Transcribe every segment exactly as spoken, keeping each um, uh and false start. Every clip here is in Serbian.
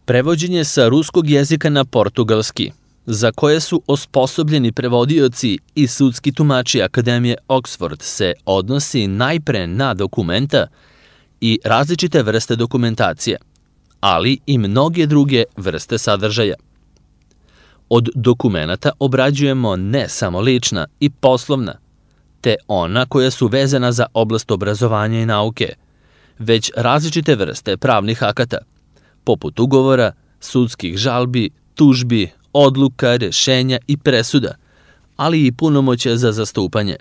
Prevođenje sa ruskog jezika na portugalski, za koje su osposobljeni prevodioci i sudski tumači Akademije Oxford, se odnosi najpre na dokumenta i različite vrste dokumentacije, ali i mnoge druge vrste sadržaja. Od dokumenata obrađujemo ne samo lična i poslovna, te ona koja su vezana za oblast obrazovanja i nauke, već različite vrste pravnih akata, poput ugovora, sudskih žalbi, tužbi, odluka, rešenja i presuda, ali i punomoćja za zastupanje,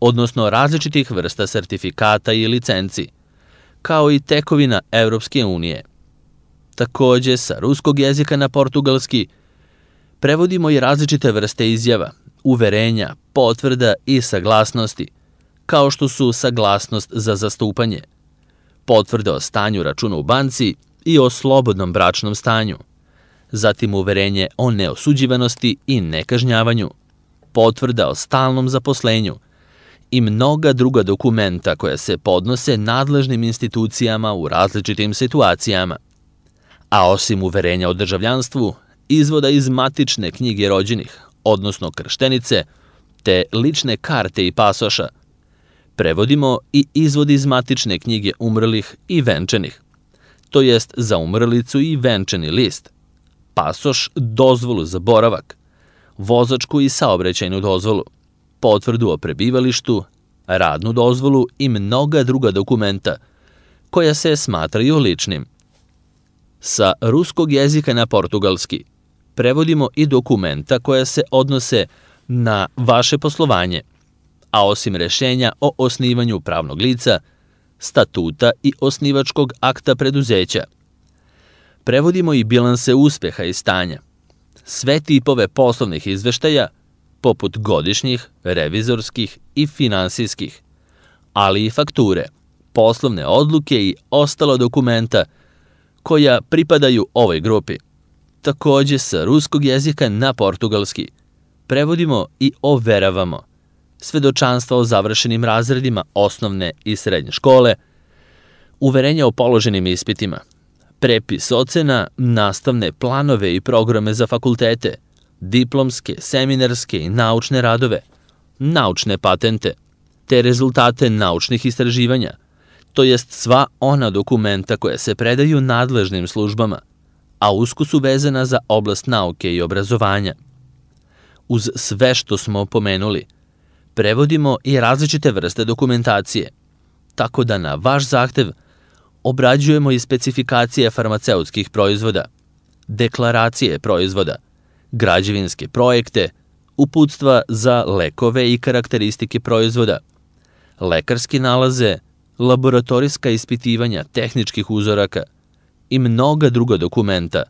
odnosno različitih vrsta sertifikata i licenci, kao i tekovina Evropske unije. Takođe, sa ruskog jezika na portugalski prevodimo i različite vrste izjava, uverenja, potvrda i saglasnosti, kao što su saglasnost za zastupanje, potvrda o stanju računa u banci i o slobodnom bračnom stanju, zatim uverenje o neosuđivanosti i nekažnjavanju, potvrda o stalnom zaposlenju i mnoga druga dokumenta koja se podnose nadležnim institucijama u različitim situacijama. A osim uverenja o državljanstvu, izvoda iz matične knjige rođenih, odnosno krštenice, te lične karte i pasoša, prevodimo i izvod iz matične knjige umrlih i venčanih, to jest za umrlicu i venčani list, pasoš, dozvolu za boravak, vozačku i saobraćajnu dozvolu, potvrdu o prebivalištu, radnu dozvolu i mnoga druga dokumenta koja se smatraju ličnim. Sa ruskog jezika na portugalski prevodimo i dokumenta koja se odnose na vaše poslovanje, a osim rešenja o osnivanju pravnog lica, statuta i osnivačkog akta preduzeća, prevodimo i bilanse uspeha i stanja, sve tipove poslovnih izveštaja, poput godišnjih, revizorskih i finansijskih, ali i fakture, poslovne odluke i ostala dokumenta koja pripadaju ovoj grupi. Takođe, sa ruskog jezika na portugalski prevodimo i overavamo svedočanstva o završenim razredima osnovne i srednje škole, uverenja o položenim ispitima, prepis ocena, nastavne planove i programe za fakultete, diplomske, seminarske i naučne radove, naučne patente, te rezultate naučnih istraživanja, to jest sva ona dokumenta koja se predaju nadležnim službama, a usko su vezana za oblast nauke i obrazovanja. Uz sve što smo pomenuli, prevodimo i različite vrste dokumentacije, tako da na vaš zahtev obrađujemo i specifikacije farmaceutskih proizvoda, deklaracije proizvoda, građevinske projekte, uputstva za lekove i karakteristike proizvoda, lekarske nalaze, laboratorijska ispitivanja tehničkih uzoraka i mnoga druga dokumenta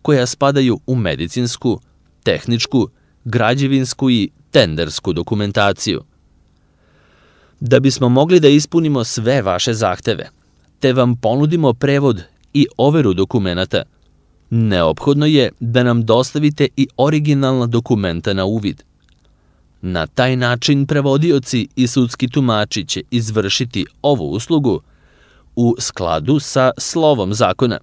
koja spadaju u medicinsku, tehničku, građevinsku i tendersku dokumentaciju. Da bismo mogli da ispunimo sve vaše zahteve, te vam ponudimo prevod i overu dokumenata, neophodno je da nam dostavite i originalna dokumenta na uvid. Na taj način prevodioci i sudski tumači će izvršiti ovu uslugu u skladu sa slovom zakona,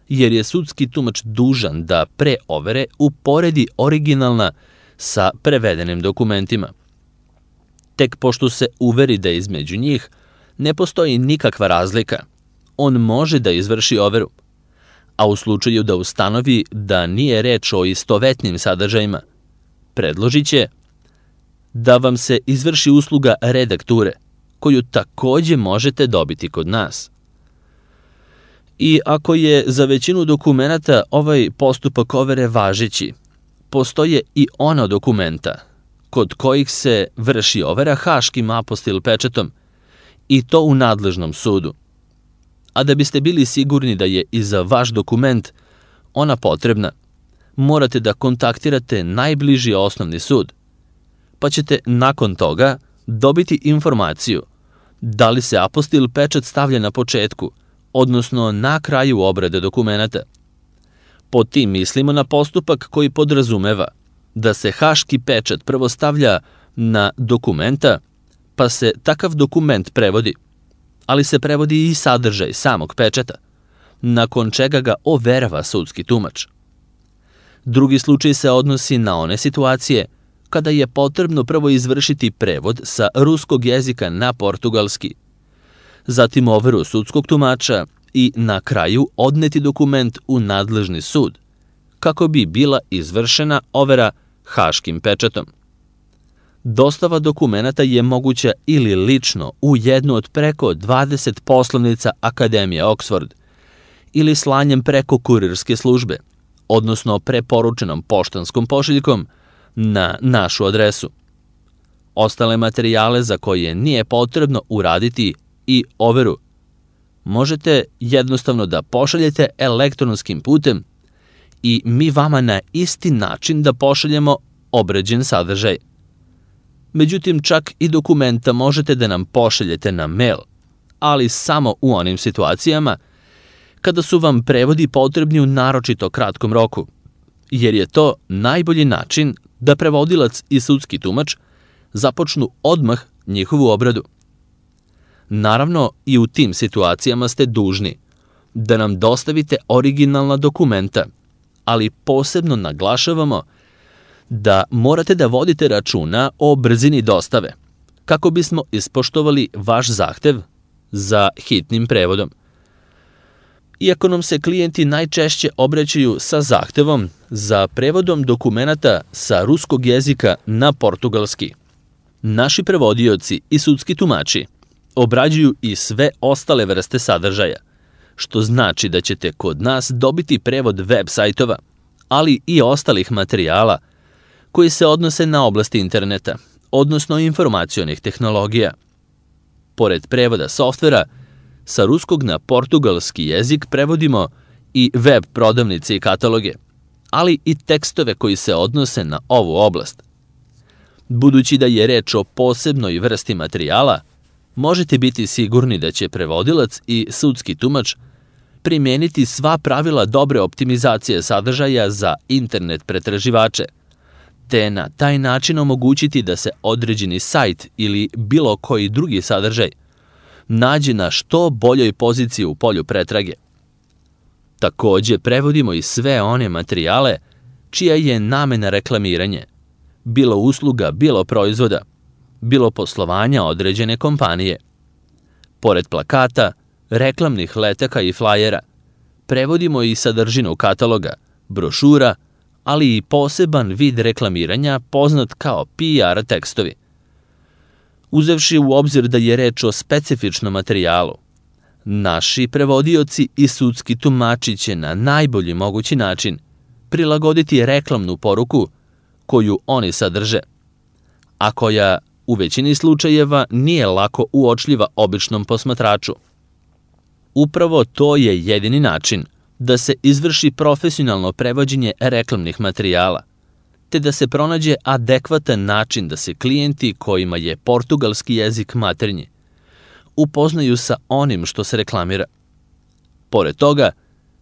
jer je sudski tumač dužan da pre overe uporedi originalna sa prevedenim dokumentima. Tek pošto se uveri da između njih ne postoji nikakva razlika, on može da izvrši overu, a u slučaju da ustanovi da nije reč o istovetnim sadržajima, predložit će da vam se izvrši usluga redakture, koju takođe možete dobiti kod nas. I ako je za većinu dokumenata ovaj postupak overe važeći, postoje i ona dokumenta kod kojih se vrši overa haškim apostil pečatom, i to u nadležnom sudu. A da biste bili sigurni da je i za vaš dokument ona potrebna, morate da kontaktirate najbliži osnovni sud, pa ćete nakon toga dobiti informaciju da li se apostil pečat stavlja na početku, odnosno na kraju obrade dokumenata. Pod tim mislimo na postupak koji podrazumeva da se haški pečat prvo stavlja na dokumenta, pa se takav dokument prevodi, ali se prevodi i sadržaj samog pečata, nakon čega ga overava sudski tumač. Drugi slučaj se odnosi na one situacije kada je potrebno prvo izvršiti prevod sa ruskog jezika na portugalski, zatim overu sudskog tumača i na kraju odneti dokument u nadležni sud, kako bi bila izvršena overa haškim pečatom. Dostava dokumenata je moguća ili lično u jednu od preko dvadeset poslovnica Akademije Oxford ili slanjem preko kurirske službe, odnosno preporučenom poštanskom pošiljkom na našu adresu. Ostale materijale za koje nije potrebno uraditi i overu možete jednostavno da pošaljete elektronskim putem i mi vama na isti način da pošaljemo obrađen sadržaj. Međutim, čak i dokumenta možete da nam pošaljete na mail, ali samo u onim situacijama kada su vam prevodi potrebni u naročito kratkom roku, jer je to najbolji način da prevodilac i sudski tumač započnu odmah njihovu obradu. Naravno, i u tim situacijama ste dužni da nam dostavite originalna dokumenta, ali posebno naglašavamo da morate da vodite računa o brzini dostave, kako bismo ispoštovali vaš zahtev za hitnim prevodom. Iako nam se klijenti najčešće obraćaju sa zahtevom za prevodom dokumenata sa ruskog jezika na portugalski, naši prevodioci i sudski tumači obrađuju i sve ostale vrste sadržaja, što znači da ćete kod nas dobiti prevod web sajtova, ali i ostalih materijala koji se odnose na oblasti interneta, odnosno informacionih tehnologija. Pored prevoda softvera, sa ruskog na portugalski jezik prevodimo i web prodavnice i kataloge, ali i tekstove koji se odnose na ovu oblast. Budući da je reč o posebnoj vrsti materijala, možete biti sigurni da će prevodilac i sudski tumač primeniti sva pravila dobre optimizacije sadržaja za internet pretraživače, te na taj način omogućiti da se određeni sajt ili bilo koji drugi sadržaj nađe na što boljoj poziciji u polju pretrage. Takođe, prevodimo i sve one materijale čija je namena reklamiranje, bilo usluga, bilo proizvoda, bilo poslovanja određene kompanije. Pored plakata, reklamnih letaka i flajera, prevodimo i sadržinu kataloga, brošura, ali i poseban vid reklamiranja poznat kao P R tekstovi. Uzevši u obzir da je reč o specifičnom materijalu, naši prevodioci i sudski tumači će na najbolji mogući način prilagoditi reklamnu poruku koju oni sadrže, a koja u većini slučajeva nije lako uočljiva običnom posmatraču. Upravo to je jedini način da se izvrši profesionalno prevođenje reklamnih materijala, te da se pronađe adekvatan način da se klijenti kojima je portugalski jezik maternji upoznaju sa onim što se reklamira. Pored toga,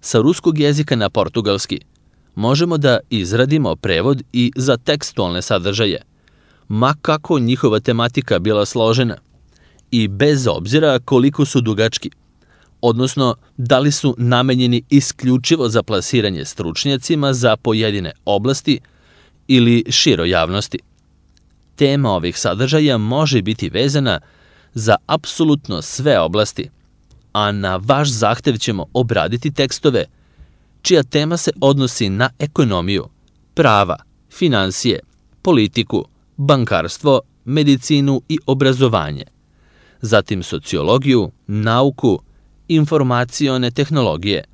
sa ruskog jezika na portugalski možemo da izradimo prevod i za tekstualne sadržaje, ma kako njihova tematika bila složena i bez obzira koliko su dugački, odnosno da li su namenjeni isključivo za plasiranje stručnjacima za pojedine oblasti ili široj javnosti. Tema ovih sadržaja može biti vezana za apsolutno sve oblasti, a na vaš zahtev ćemo obraditi tekstove čija tema se odnosi na ekonomiju, prava, finansije, politiku, bankarstvo, medicinu i obrazovanje, zatim sociologiju, nauku, informacione tehnologije,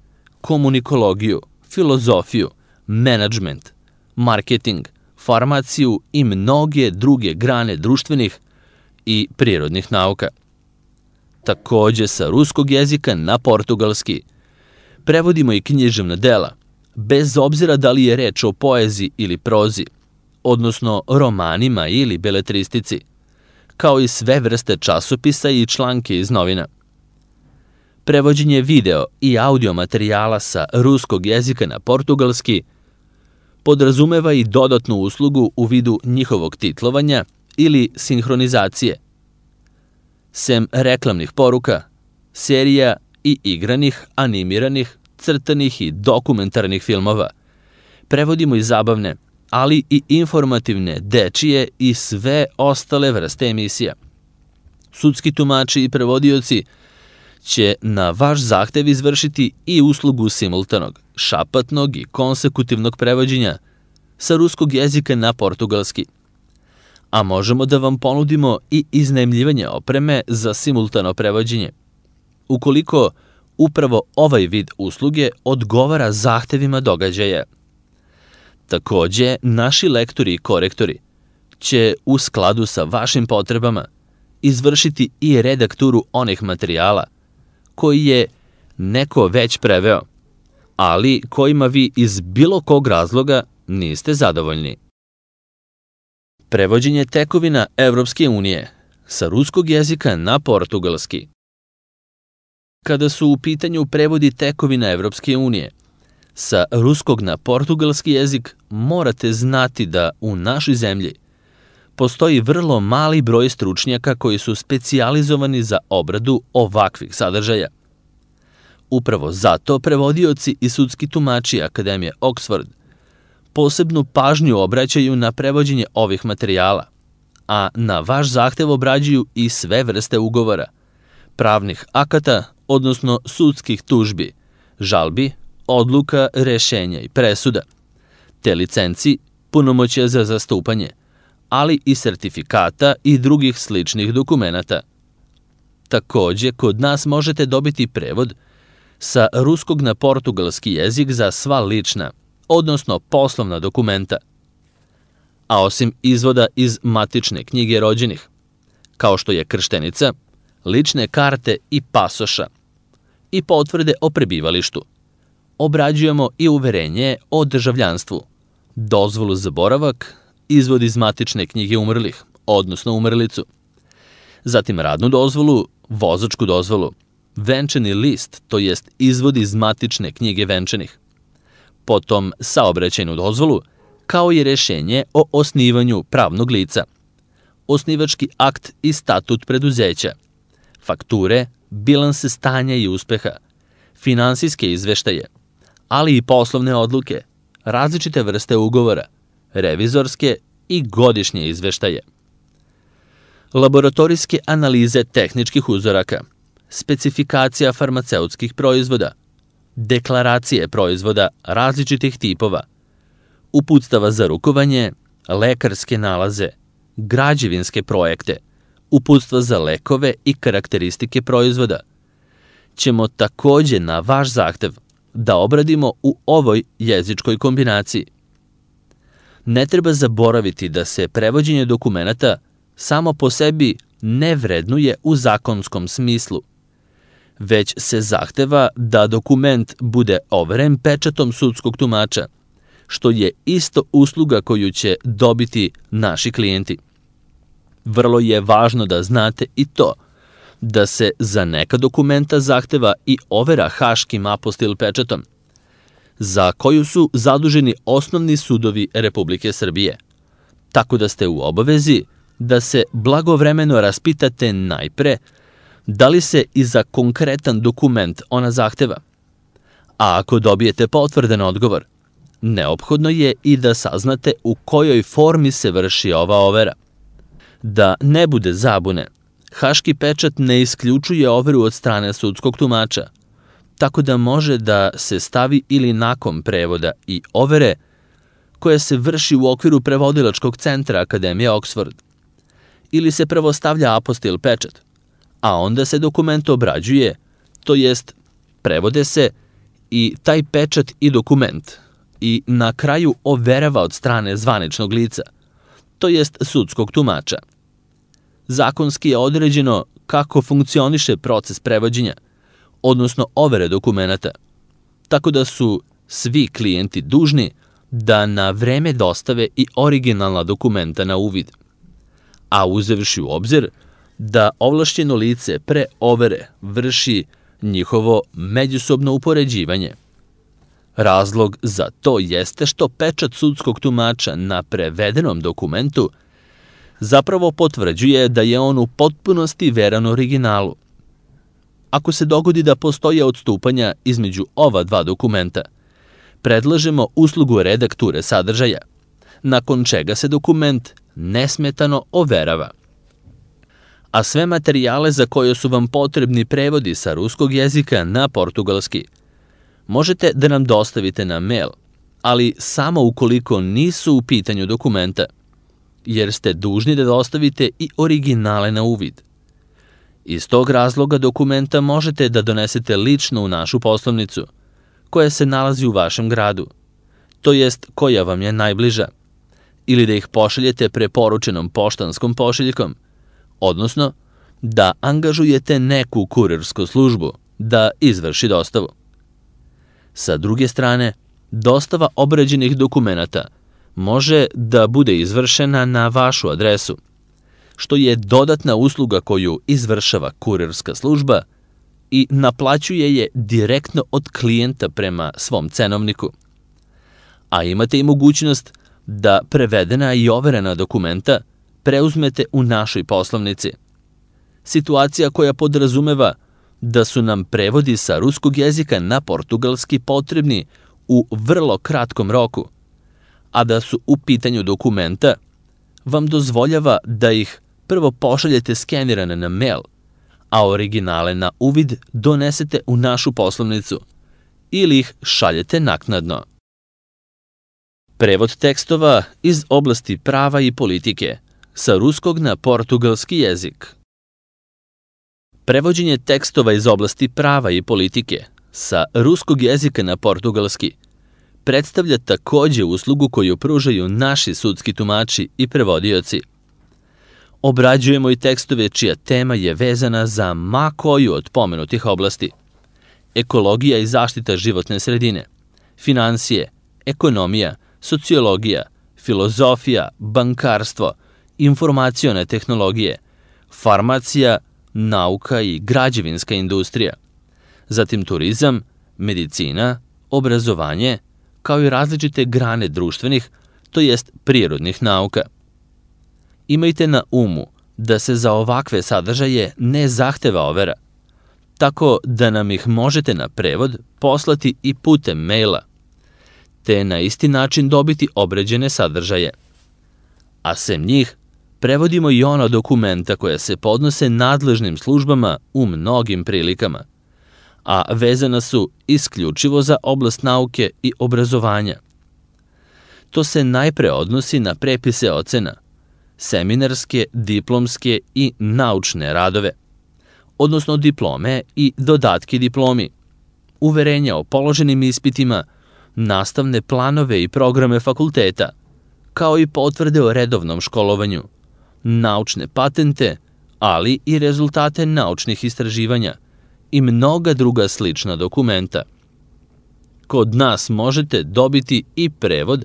komunikologiju, filozofiju, menadžment, marketing, farmaciju i mnoge druge grane društvenih i prirodnih nauka. Takođe, sa ruskog jezika na portugalski prevodimo i književna dela, bez obzira da li je reč o poeziji ili prozi, odnosno romanima ili beletristici, kao i sve vrste časopisa i članke iz novina. Prevođenje video i audio materijala sa ruskog jezika na portugalski podrazumeva i dodatnu uslugu u vidu njihovog titlovanja ili sinhronizacije. Sem reklamnih poruka, serija i igranih, animiranih, crtanih i dokumentarnih filmova. Prevodimo i zabavne, ali i informativne, dečije i sve ostale vrste emisija. Sudski tumači i prevodioci će na vaš zahtev izvršiti i uslugu simultanog, šapatnog i konsekutivnog prevođenja sa ruskog jezika na portugalski. A možemo da vam ponudimo i iznajmljivanje opreme za simultano prevođenje, ukoliko upravo ovaj vid usluge odgovara zahtevima događaja. Takođe, naši lektori i korektori će u skladu sa vašim potrebama izvršiti i redakturu onih materijala koji je neko već preveo, ali kojima vi iz bilo kog razloga niste zadovoljni. Prevođenje tekovina Evropske unije sa ruskog jezika na portugalski. Kada su u pitanju prevodi tekovina Evropske unije sa ruskog na portugalski jezik, morate znati da u našoj zemlji postoji vrlo mali broj stručnjaka koji su specijalizovani za obradu ovakvih sadržaja. Upravo zato prevodioci i sudski tumači Akademije Oxford posebnu pažnju obraćaju na prevođenje ovih materijala, a na vaš zahtev obrađuju i sve vrste ugovora, pravnih akata, odnosno sudskih tužbi, žalbi, odluka, rešenja i presuda, te licenci, punomoćja za zastupanje, ali i sertifikata i drugih sličnih dokumenata. Takođe, kod nas možete dobiti prevod sa ruskog na portugalski jezik za sva lična, odnosno poslovna dokumenta, a osim izvoda iz matične knjige rođenih, kao što je krštenica, lične karte i pasoša, i potvrde o prebivalištu. Obrađujemo i uverenje o državljanstvu, dozvolu za boravak, izvod iz matične knjige umrlih, odnosno umrlicu, zatim radnu dozvolu, vozačku dozvolu, venčani list, to jest izvod iz matične knjige venčanih, potom saobraćajnu dozvolu, kao i rešenje o osnivanju pravnog lica, osnivački akt i statut preduzeća, fakture, bilanse stanja i uspeha, finansijske izveštaje, ali i poslovne odluke, različite vrste ugovora, revizorske i godišnje izveštaje. Laboratorijske analize tehničkih uzoraka, specifikacija farmaceutskih proizvoda, deklaracije proizvoda različitih tipova, uputstava za rukovanje, lekarske nalaze, građevinske projekte, uputstva za lekove i karakteristike proizvoda, ćemo takođe na vaš zahtev da obradimo u ovoj jezičkoj kombinaciji. Ne treba zaboraviti da se prevođenje dokumenata samo po sebi ne vrednuje u zakonskom smislu, već se zahteva da dokument bude overen pečatom sudskog tumača, što je isto usluga koju će dobiti naši klijenti. Vrlo je važno da znate i to, da se za neka dokumenta zahteva i overa haškim apostil pečatom, za koju su zaduženi osnovni sudovi Republike Srbije, tako da ste u obavezi da se blagovremeno raspitate najpre da li se i za konkretan dokument ona zahteva. A ako dobijete potvrdan odgovor, neophodno je i da saznate u kojoj formi se vrši ova overa. Da ne bude zabune, haški pečat ne isključuje overu od strane sudskog tumača, tako da može da se stavi ili nakon prevoda i overe koja se vrši u okviru prevodilačkog centra Akademije Oxford. Ili se prvo stavlja apostil pečat, a onda se dokument obrađuje, to jest prevode se i taj pečat i dokument i na kraju overava od strane zvaničnog lica, to jest sudskog tumača. Zakonski je određeno kako funkcioniše proces prevođenja, odnosno overe dokumenata, tako da su svi klijenti dužni da na vreme dostave i originalna dokumenta na uvid, a uzevši u obzir da ovlašćeno lice pre overe vrši njihovo međusobno upoređivanje. Razlog za to jeste što pečat sudskog tumača na prevedenom dokumentu zapravo potvrđuje da je on u potpunosti veran originalu. Ako se dogodi da postoje odstupanja između ova dva dokumenta, predlažemo uslugu redakture sadržaja, nakon čega se dokument nesmetano overava. A sve materijale za koje su vam potrebni prevodi sa ruskog jezika na portugalski možete da nam dostavite na mail, ali samo ukoliko nisu u pitanju dokumenta, jer ste dužni da dostavite i originale na uvid. Iz tog razloga dokumenta možete da donesete lično u našu poslovnicu, koja se nalazi u vašem gradu, to jest koja vam je najbliža, ili da ih pošaljete preporučenom poštanskom pošiljkom, odnosno da angažujete neku kurirsku službu da izvrši dostavu. Sa druge strane, dostava obrađenih dokumenata može da bude izvršena na vašu adresu, što je dodatna usluga koju izvršava kurirska služba i naplaćuje je direktno od klijenta prema svom cenovniku. A imate i mogućnost da prevedena i overena dokumenta preuzmete u našoj poslovnici. Situacija koja podrazumeva da su nam prevodi sa ruskog jezika na portugalski potrebni u vrlo kratkom roku, a da su u pitanju dokumenta, vam dozvoljava da ih prvo pošaljete skenirane na mail, a originale na uvid donesete u našu poslovnicu ili ih šaljete naknadno. Prevod tekstova iz oblasti prava i politike sa ruskog na portugalski jezik. Prevođenje tekstova iz oblasti prava i politike sa ruskog jezika na portugalski predstavlja takođe uslugu koju pružaju naši sudski tumači i prevodioci. Obrađujemo i tekstove čija tema je vezana za ma koju od pomenutih oblasti: ekologija i zaštita životne sredine, finansije, ekonomija, sociologija, filozofija, bankarstvo, informacione tehnologije, farmacija, nauka i građevinska industrija, zatim turizam, medicina, obrazovanje, kao i različite grane društvenih, to jest prirodnih nauka. Imajte na umu da se za ovakve sadržaje ne zahteva overa, tako da nam ih možete na prevod poslati i putem maila, te na isti način dobiti obrađene sadržaje. A sem njih, prevodimo i ona dokumenta koja se podnose nadležnim službama u mnogim prilikama, a vezana su isključivo za oblast nauke i obrazovanja. To se najpre odnosi na prepise ocena, seminarske, diplomske i naučne radove, odnosno diplome i dodatke diplomi, uverenja o položenim ispitima, nastavne planove i programe fakulteta, kao i potvrde o redovnom školovanju, naučne patente, ali i rezultate naučnih istraživanja i mnoga druga slična dokumenta. Kod nas možete dobiti i prevod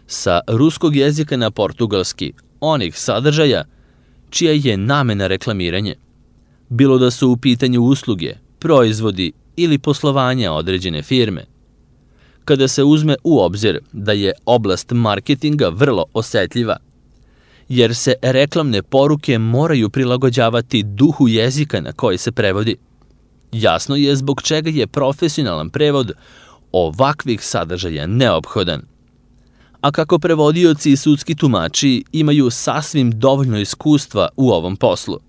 sa ruskog jezika na portugalski onih sadržaja čija je namena reklamiranje, bilo da su u pitanju usluge, proizvodi ili poslovanja određene firme. Kada se uzme u obzir da je oblast marketinga vrlo osetljiva, jer se reklamne poruke moraju prilagođavati duhu jezika na koji se prevodi, jasno je zbog čega je profesionalan prevod ovakvih sadržaja neophodan. A kako prevodioci i sudski tumači imaju sasvim dovoljno iskustva u ovom poslu,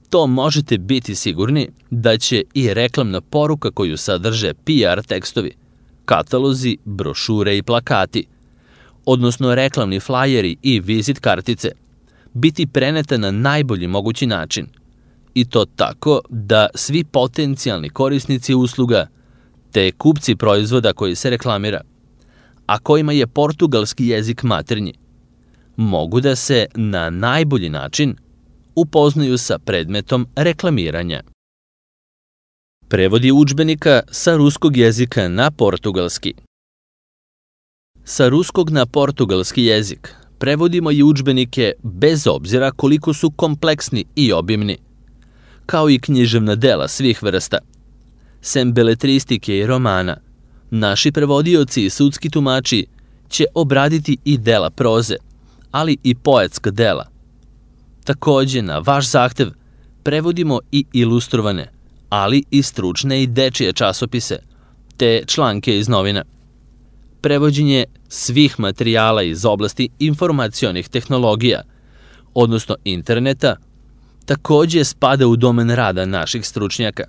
to možete biti sigurni da će i reklamna poruka koju sadrže P R tekstovi, katalozi, brošure i plakati, odnosno reklamni flajeri i vizit kartice, biti preneta na najbolji mogući način, i to tako da svi potencijalni korisnici usluga, te kupci proizvoda koji se reklamira, a kojima je portugalski jezik maternji, mogu da se na najbolji način upoznaju sa predmetom reklamiranja. Prevodi udžbenika sa ruskog jezika na portugalski. Sa ruskog na portugalski jezik prevodimo i udžbenike bez obzira koliko su kompleksni i obimni, kao i književna dela svih vrsta. Sem beletristike i romana, naši prevodioci i sudski tumači će obraditi i dela proze, ali i poetska dela. Takođe, na vaš zahtev, prevodimo i ilustrovane, ali i stručne i dečije časopise, te članke iz novina. Prevođenje svih materijala iz oblasti informacionih tehnologija, odnosno interneta, takođe spada u domen rada naših stručnjaka.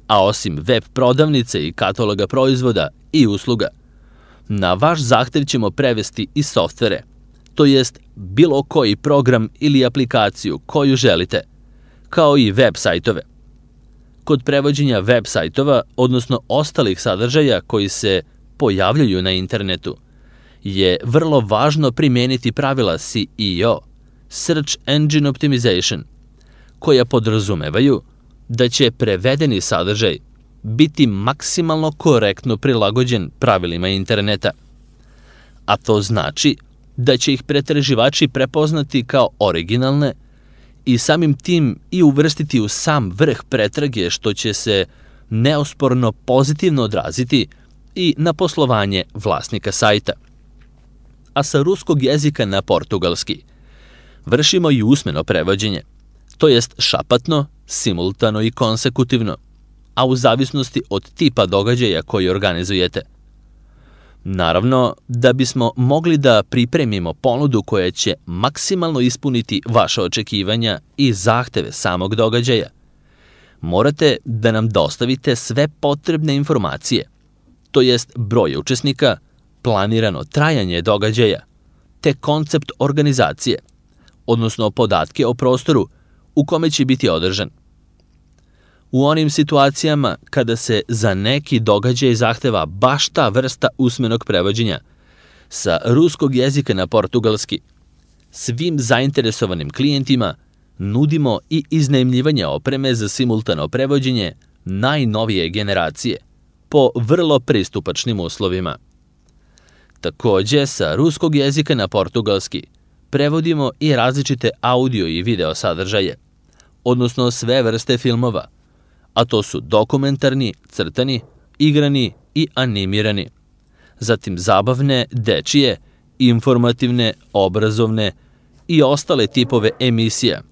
A osim web prodavnice i kataloga proizvoda i usluga, na vaš zahtev ćemo prevesti i softvere, to jest bilo koji program ili aplikaciju koju želite, kao i web sajtove. Kod prevođenja web sajtova, odnosno ostalih sadržaja koji se pojavljaju na internetu, je vrlo važno primijeniti pravila S E O, Search Engine Optimization, koja podrazumevaju da će prevedeni sadržaj biti maksimalno korektno prilagođen pravilima interneta. A to znači da će ih pretraživači prepoznati kao originalne i samim tim i uvrstiti u sam vrh pretrage, što će se neosporno pozitivno odraziti i na poslovanje vlasnika sajta. A sa ruskog jezika na portugalski vršimo i usmeno prevođenje, to jest šapatno, simultano i konsekutivno, a u zavisnosti od tipa događaja koji organizujete. Naravno, da bismo mogli da pripremimo ponudu koja će maksimalno ispuniti vaše očekivanja i zahteve samog događaja, morate da nam dostavite sve potrebne informacije, to jest broj učesnika, planirano trajanje događaja, te koncept organizacije, odnosno podatke o prostoru u kome će biti održan. U onim situacijama kada se za neki događaj zahteva baš ta vrsta usmenog prevođenja sa ruskog jezika na portugalski, svim zainteresovanim klijentima nudimo i iznajmljivanje opreme za simultano prevođenje najnovije generacije po vrlo pristupačnim uslovima. Takođe, sa ruskog jezika na portugalski prevodimo i različite audio i video sadržaje, odnosno sve vrste filmova, a to su dokumentarni, crtani, igrani i animirani, zatim zabavne, dečije, informativne, obrazovne i ostale tipove emisija,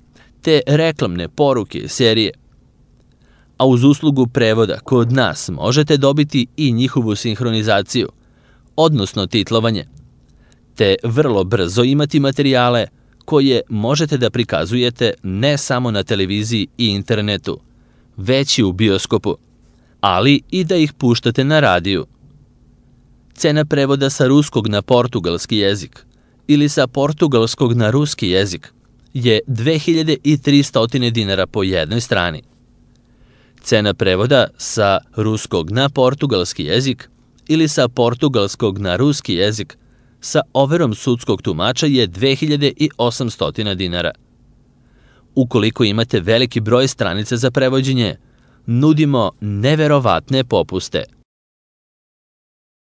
te reklamne poruke i serije. A uz uslugu prevoda kod nas možete dobiti i njihovu sinhronizaciju, odnosno titlovanje, te vrlo brzo imati materijale koje možete da prikazujete ne samo na televiziji i internetu, već i u bioskopu, ali i da ih puštate na radiju. Cena prevoda sa ruskog na portugalski jezik ili sa portugalskog na ruski jezik je dve hiljade tristo dinara po jednoj strani. Cena prevoda sa ruskog na portugalski jezik ili sa portugalskog na ruski jezik sa overom sudskog tumača je dve hiljade osamsto dinara. Ukoliko imate veliki broj stranica za prevođenje, nudimo neverovatne popuste.